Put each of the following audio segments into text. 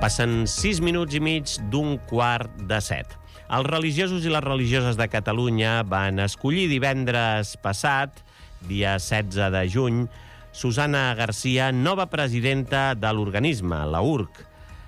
Passen 6 minuts i mig d'un quart de 7. Els religiosos i les religioses de Catalunya van escollir divendres passat, dia 16 de juny, Susana Garcia, nova presidenta de l'organisme, la URC.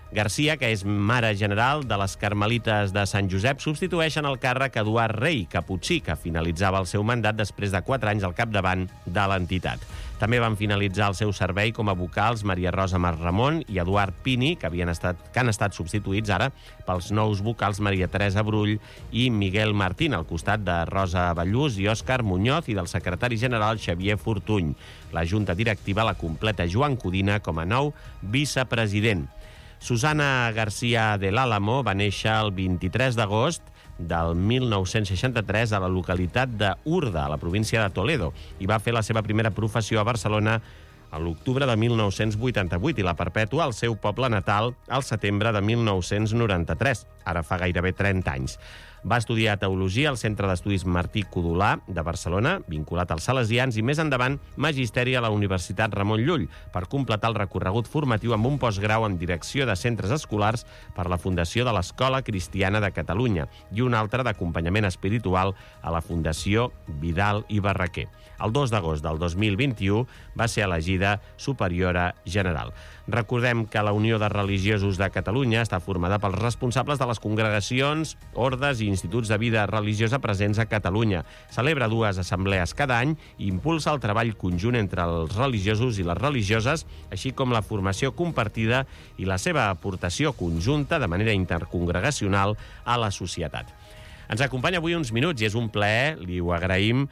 Garcia, que és mare general de les Carmelites de Sant Josep, substitueix en el càrrec Eduard Rey, caputxí, que finalitzava el seu mandat després de 4 anys al capdavant de l'entitat. També van finalitzar el seu servei com a vocals Maria Rosa Masramon i Eduard Pini, que han estat substituïts ara pels nous vocals Maria Teresa Brull i Miguel Martín, al costat de Rosa Ballús i Òscar Muñoz i del secretari general Xavier Fortuny. La junta directiva la completa Joan Codina com a nou vicepresident. Susana García del Álamo va néixer el 23 d'agost del 1963 a la localitat d'Urda, a la província de Toledo, i va fer la seva primera professió a Barcelona a l'octubre de 1988 i la perpètua al seu poble natal al setembre de 1993, ara fa gairebé 30 anys. Va estudiar Teologia al Centre d'Estudis Martí Codolà de Barcelona, vinculat als Salesians, i més endavant Magisteri a la Universitat Ramon Llull, per completar el recorregut formatiu amb un postgrau en Direcció de Centres Escolars per la Fundació de l'Escola Cristiana de Catalunya i un altre d'Acompanyament Espiritual a la Fundació Vidal i Barraquer. El 2 d'agost del 2021 va ser elegida superiora general. Recordem que la Unió de Religiosos de Catalunya està formada pels responsables de les congregacions, ordes i instituts de vida religiosa presents a Catalunya. Celebra 2 assemblees cada any i impulsa el treball conjunt entre els religiosos i les religioses, així com la formació compartida i la seva aportació conjunta de manera intercongregacional a la societat. Ens acompanya avui uns minuts i és un plaer, li ho agraïm,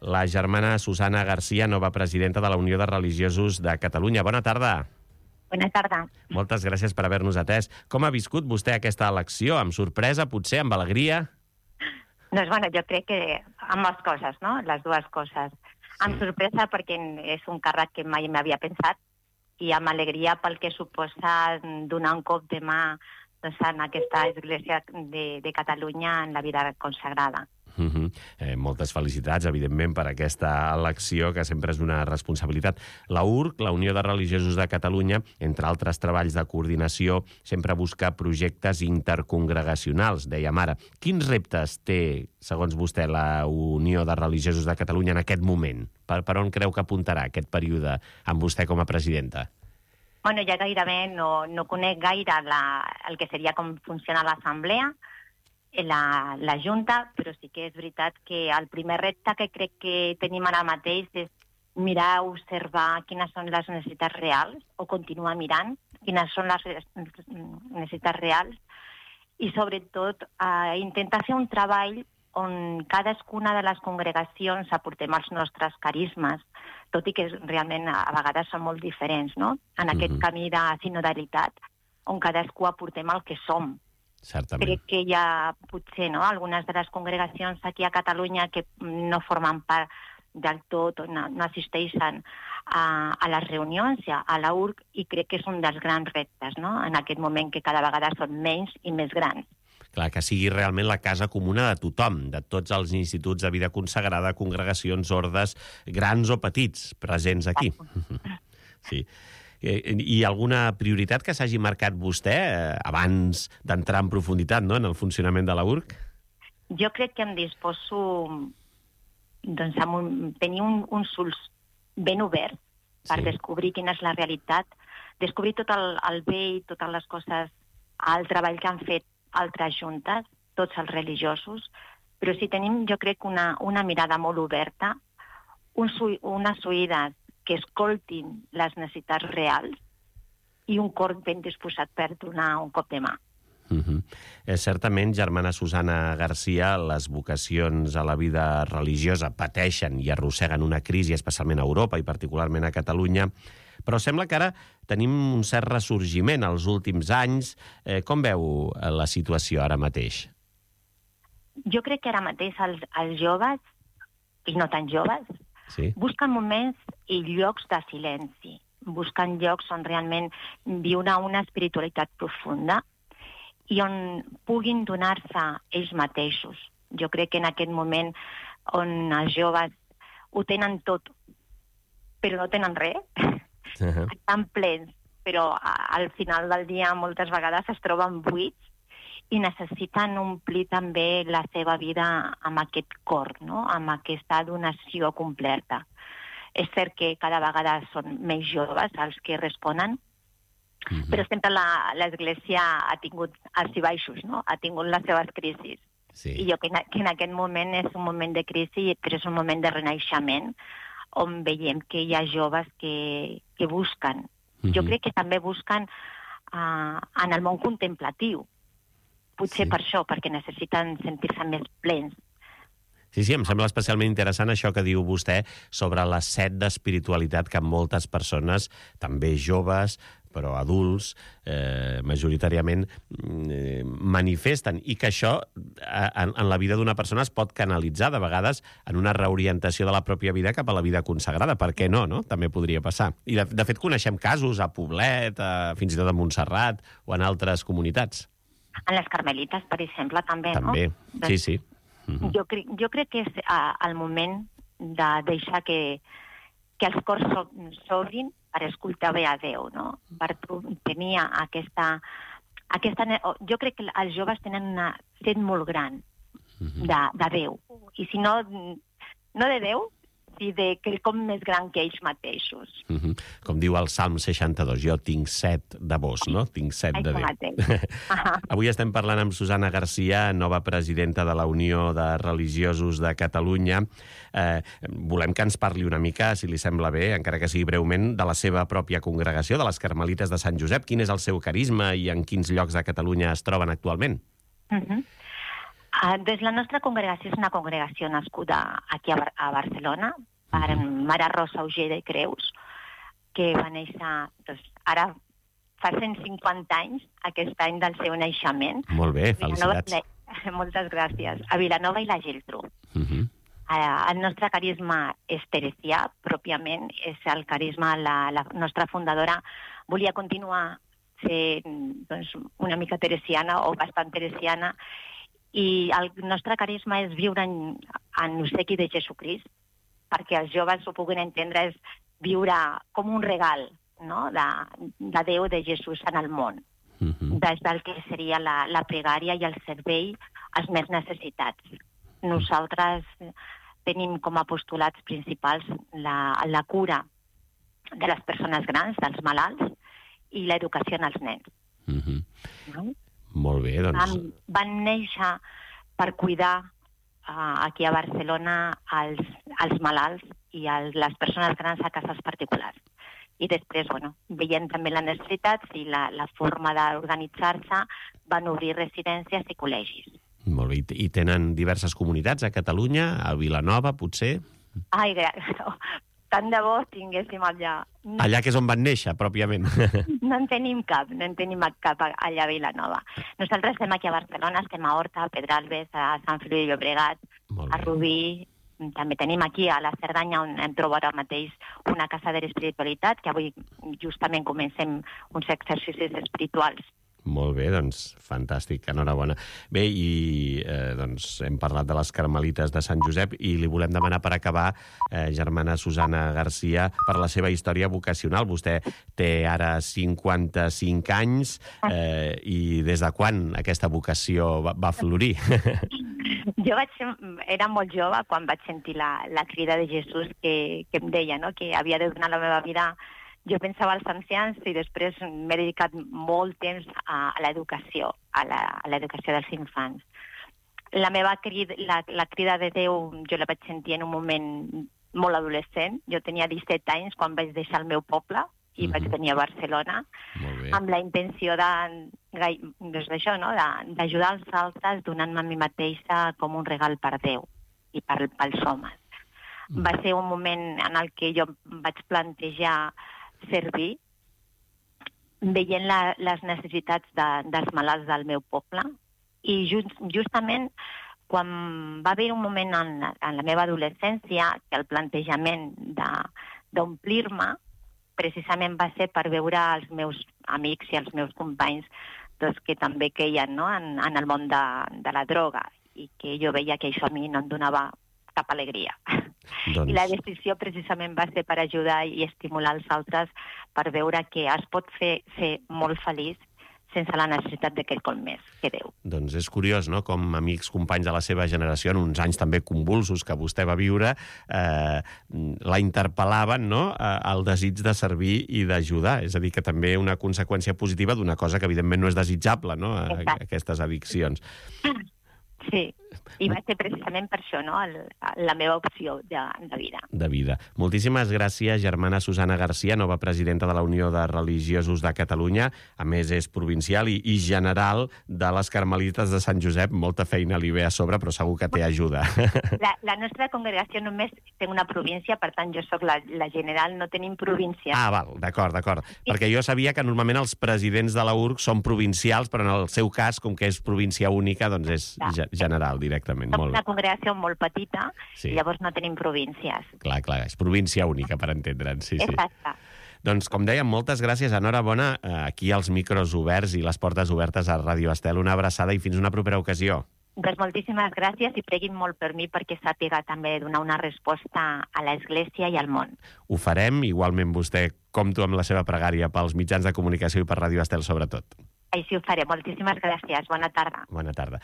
la germana Susana Garcia, nova presidenta de la Unió de Religiosos de Catalunya. Bona tarda. Bona tarda. Moltes gràcies per haver-nos atès. Com ha viscut vostè aquesta elecció? Amb sorpresa, potser, amb alegria? Doncs, bueno, jo crec que amb les coses, no? Les dues coses. Sí. Amb sorpresa perquè és un càrrec que mai m'havia pensat i amb alegria pel que suposa donar un cop de mà en aquesta església de Catalunya en la vida consagrada. Moltes felicitats, evidentment, per aquesta elecció, que sempre és una responsabilitat. La URC, la Unió de Religiosos de Catalunya, entre altres treballs de coordinació, sempre busca projectes intercongregacionals, dèiem ara. Quins reptes té, segons vostè, la Unió de Religiosos de Catalunya en aquest moment? Per on creu que apuntarà aquest període amb vostè com a presidenta? Bueno, ja gairebé no conec gaire el que seria com funciona l'assemblea, la Junta, però sí que és veritat que el primer repte que crec que tenim ara mateix és mirar, observar quines són les necessitats reals, o continuar mirant quines són les necessitats reals, i sobretot intentar fer un treball on cadascuna de les congregacions aportem els nostres carismes, tot i que realment a vegades són molt diferents, no? En aquest camí de sinodalitat, on cadascú aportem el que som. Certament. Crec que hi ha, potser, no, algunes de les congregacions aquí a Catalunya que no formen part del tot, no assisteixen a les reunions, a la URC, i crec que és un dels grans reptes, no?, en aquest moment que cada vegada són menys i més grans. Clar, que sigui realment la casa comuna de tothom, de tots els instituts de vida consagrada, congregacions, ordes, grans o petits, presents aquí. Sí. I alguna prioritat que s'hagi marcat vostè abans d'entrar en profunditat, no?, en el funcionament de la URC? Jo crec que em disposo a tenir uns ulls ben oberts per descobrir quina és la realitat, descobrir tot el bé i totes les coses, el treball que han fet altres juntes, tots els religiosos, però si tenim, jo crec, una mirada molt oberta, unes oïdes que escoltin les necessitats reals i un cor ben disposat per donar un cop de mà. Certament, germana Susana Garcia, les vocacions a la vida religiosa pateixen i arrosseguen una crisi, especialment a Europa i particularment a Catalunya, però sembla que ara tenim un cert ressorgiment als últims anys. Com veu la situació ara mateix? Jo crec que ara mateix els joves, i no tan joves, busquen moments i llocs de silenci, busquen llocs on realment viure una espiritualitat profunda i on puguin donar-se ells mateixos. Jo crec que en aquest moment on els joves ho tenen tot, però no tenen res, estan plens, però al final del dia moltes vegades es troben buits i necessiten omplir també la seva vida amb aquest cor, no? Amb aquesta donació completa. És cert que cada vegada són més joves els que responen, però sempre l'Església ha tingut alts i baixos, no? Ha tingut les seves crisis. Sí. I jo que en aquest moment és un moment de crisi, però és un moment de renaixement, on veiem que hi ha joves que busquen. Jo crec que també busquen en el món contemplatiu. Potser per això, perquè necessiten sentir-se més plens. Sí, em sembla especialment interessant això que diu vostè sobre la set d'espiritualitat que moltes persones, també joves, però adults, majoritàriament, manifesten, i que això en la vida d'una persona es pot canalitzar de vegades en una reorientació de la pròpia vida cap a la vida consagrada. Per què no? També podria passar. I de fet coneixem casos a Poblet, fins i tot a Montserrat o en altres comunitats. En les Carmelites, per exemple, també, no? També, sí. Jo crec que és el moment de deixar que els cors s'obrin per escoltar bé a Déu, no? Per tenir aquesta... Jo crec que els joves tenen una set molt gran de Déu. I si no de Déu, sí de quelcom més gran que ells mateixos. Com diu el Salm 62, jo tinc set de vos, no? Tinc set de Déu. Avui estem parlant amb Susana Garcia, nova presidenta de la Unió de Religiosos de Catalunya. Volem que ens parli una mica, si li sembla bé, encara que sigui breument, de la seva pròpia congregació, de les Carmelites de Sant Josep. Quin és el seu carisma i en quins llocs de Catalunya es troben actualment? Doncs la nostra congregació és una congregació nascuda aquí a Barcelona, per Mare Rosa Auger de Creus, que va néixer ara fa 150 anys, aquest any del seu naixement. Molt bé, felicitats. Moltes gràcies. A Vilanova i la Geltrú. El nostre carisma és teresià, pròpiament, és el carisma, la nostra fundadora volia continuar sent una mica teresiana o bastant teresiana, i el nostre carisma és viure en l'obsequi de Jesucrist, perquè els joves ho puguin entendre, és viure com un regal, no? de Déu, de Jesús en el món, des del que seria la pregària i el servei als més necessitats. Nosaltres tenim com a postulats principals la cura de les persones grans, dels malalts, i l'educació en els nens. Molt bé, doncs... Van néixer per cuidar aquí a Barcelona els malalts i les persones grans a cases particulars. I després, veient també les necessitats i la forma d'organitzar-se, van obrir residències i col·legis. Molt bé. I tenen diverses comunitats a Catalunya, a Vilanova, potser? Ai, tant de bo tinguéssim allà. Allà que és on van néixer, pròpiament. No en tenim cap allà a Vilanova. Nosaltres estem aquí a Barcelona, estem a Horta, a Pedralbes, a Sant Feliu de Llobregat, a Rubí. També tenim aquí a la Cerdanya, on hem trobat ara mateix una casa de l'espiritualitat, que avui justament comencem uns exercicis espirituals. Molt bé, doncs, fantàstic, enhorabona. Bé, i hem parlat de les Carmelites de Sant Josep i li volem demanar per acabar, germana Susana Garcia, per la seva història vocacional. Vostè té ara 55 anys i des de quan aquesta vocació va florir? Jo era molt jove quan vaig sentir la crida de Jesús que em deia, no? Que havia de donar la meva vida. Jo pensava als ancians i després m'he dedicat molt temps a l'educació, a l'educació dels infants. La crida de Déu jo la vaig sentir en un moment molt adolescent. Jo tenia 17 anys quan vaig deixar el meu poble i vaig venir a Barcelona amb la intenció d'ajudar els altres donant-me a mi mateixa com un regal per Déu i pels homes. Va ser un moment en el que jo vaig plantejar servir, veient les necessitats dels malalts del meu poble, i justament quan va haver un moment en la meva adolescència que el plantejament d'omplir-me precisament va ser per veure els meus amics i els meus companys que també queien en el món de la droga, i que jo veia que això a mi no em donava cap alegria. I la decisió precisament va ser per ajudar i estimular els altres per veure que es pot ser molt feliç sense la necessitat de quelcom més que Déu. Doncs és curiós, no?, com amics, companys de la seva generació, en uns anys també convulsos que vostè va viure, la interpel·laven, no?, al desig de servir i d'ajudar. És a dir, que també una conseqüència positiva d'una cosa que evidentment no és desitjable, no?, aquestes addiccions. Sí, i va ser precisament per això, no?, la meva opció de vida. De vida. Moltíssimes gràcies, germana Susana Garcia, nova presidenta de la Unió de Religiosos de Catalunya. A més, és provincial i general de les Carmelites de Sant Josep. Molta feina li ve a sobre, però segur que té ajuda. La nostra congregació només té una província, per tant, jo sóc la general, no tenim província. Ah, val, d'acord. Perquè jo sabia que normalment els presidents de la URC són provincials, però en el seu cas, com que és província única, doncs és general directament. Som una congregació molt petita, i llavors no tenim províncies. Clar, és província única, per entendre'ns. Sí. Exacte. Doncs, com dèiem, moltes gràcies, enhorabona, aquí els micros oberts i les portes obertes a Ràdio Estel. Una abraçada i fins una propera ocasió. Doncs moltíssimes gràcies i preguin molt per mi perquè sàpiga també donar una resposta a l'Església i al món. Ho farem, igualment vostè compto amb la seva pregària pels mitjans de comunicació i per Ràdio Estel sobretot. Així ho faré. Moltíssimes gràcies. Bona tarda. Bona tarda.